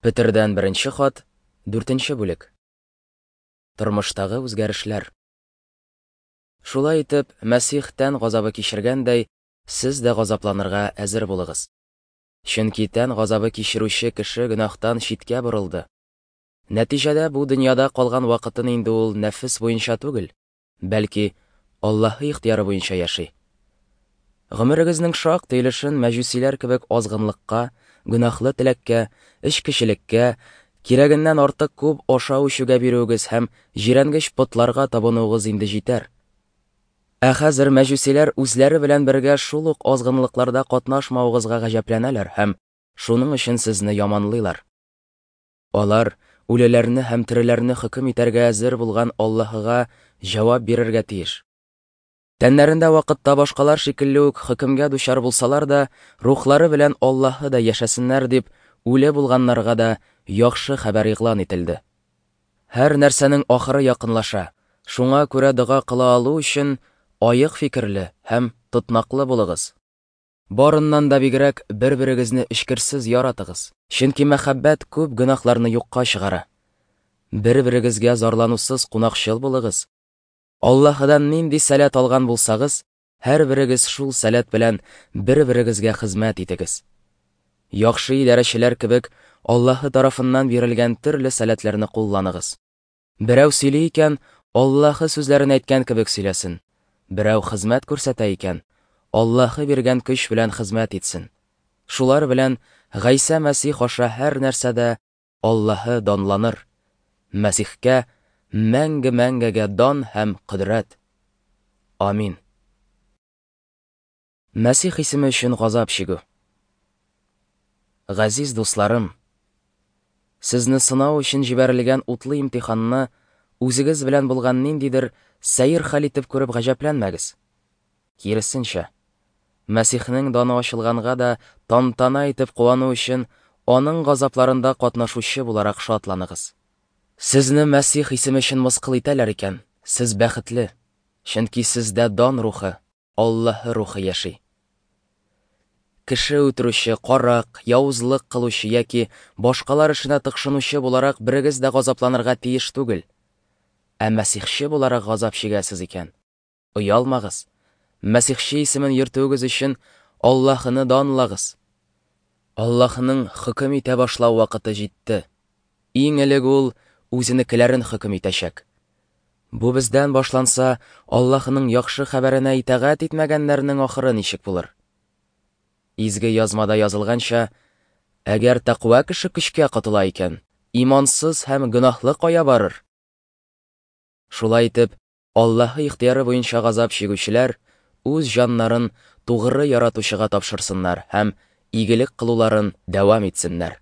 Петердән беренче хат, дүртенче бүлек. Тормыштагы үзгәрешләр. Шулай итеп, Мәсих тән газабы кичергәндәй, сез дә газапланырга әзер булыгыз. Чөнки тән газабы кичерүче кеше гөнаһтан читкә борылды. Нәтиҗәдә бу дөньяда калган вакытын инде ул нәфес буенча түгел, бәлки Аллаһы ихтыяры буенча яши. Гомерегезнең шактый өлешен мәҗүсиләр кебек азгынлыкка, гөнаһлы теләккә, эчкечелеккә, кирәгеннән артык күп ашау-эчүгә бирүегез һәм җирәнгеч потларга табынуыгыз инде җитәр. Ә хәзер мәҗүсиләр үзләре белән бергә шул ук азгынлыкларда катнашмавыгызга гаҗәпләнәләр һәм шуның өчен сезне яманлыйлар. Алар үлеләрне һәм тереләрне хөкем итәргә әзер булган Аллаһыга җавап бирергә тиеш. Тәннәрендә вакытта башкалар шикелле үк хөкемгә дучар булсалар да, рухлары белән Аллаһы да яшәсеннәр дип, үле булганнарга да яхшы хәбәр игълан ителде. Һәр нәрсәнең ахыры якынлаша, шуңа күрә дога кыла алу өчен аек фикерле һәм тотнаклы булыгыз. Барыннан да бигрәк бер-берегезне эчкерсез яратыгыз, чөнки мәхәббәт күп гөнаһларны юкка чыгара. Бер-берегезгә зарланусыз кунакчыл булыгыз. Аллаһыдан нинди сәләт алган булсагыз, һәрберегез шул сәләт белән бер-берегезгә хезмәт итегез. Яхшы идарәчеләр кебек Аллаһы тарафыннан бирелгән төрле сәләтләрне кулланыгыз. Берәү сөйли икән, Аллаһы сүзләрен әйткән кебек сөйләсен. Берәү хезмәт күрсәтә икән, Аллаһы биргән көч белән хезмәт итсен. Шулар белән Гайсә Мәсих аша һәр нәрсәдә Аллаһы данланыр. Мәсихкә мәңге-мәңгегә дан һәм кодрәт. Амин. Мәсих исеме өчен газап чигү. Газиз дусларым, сезне сынау өчен җибәрелгән утлы имтиханны үзегез белән булган ниндидер сәер хәл итеп күреп гаҗәпләнмәгез. Киресенчә, Мәсихнең даны ачылганга да тантана итеп куану өчен аның газапларында катнашучы буларак шатланыгыз. Сезне Мәсих исеме өчен мыскыл итәләр икән, сез бәхетле, чөнки сездә дан рухы, Аллаһы рухы яши. Кеше үтерүче, карак, явызлык кылучы яки башкалар эшенә тыкшынучы буларак берегез дә газапланырга тиеш түгел. Ә мәсихче буларак газап чигәсез икән, оялмагыз. Мәсихче исемен йөртүегез өчен Аллаһыны данлагыз. Аллаһының хөкем итә башлау вакыты җитте. Иң элек ул үзенекеләрен хөкем итәчәк. Бу бездән башланса, Аллаһының яхшы хәбәренә итагать итмәгәннәрнең ахыры ничек булыр? Изге язмада язылганча, әгәр тәкъва кеше көчкә котыла икән, имансыз һәм гөнаһлы кая барыр? Шулай итеп, Аллаһы ихтыяры буенча газап чигүчеләр үз җаннарын тугры яратучыга тапшырсыннар һәм игелек кылуларын дәвам итсеннәр.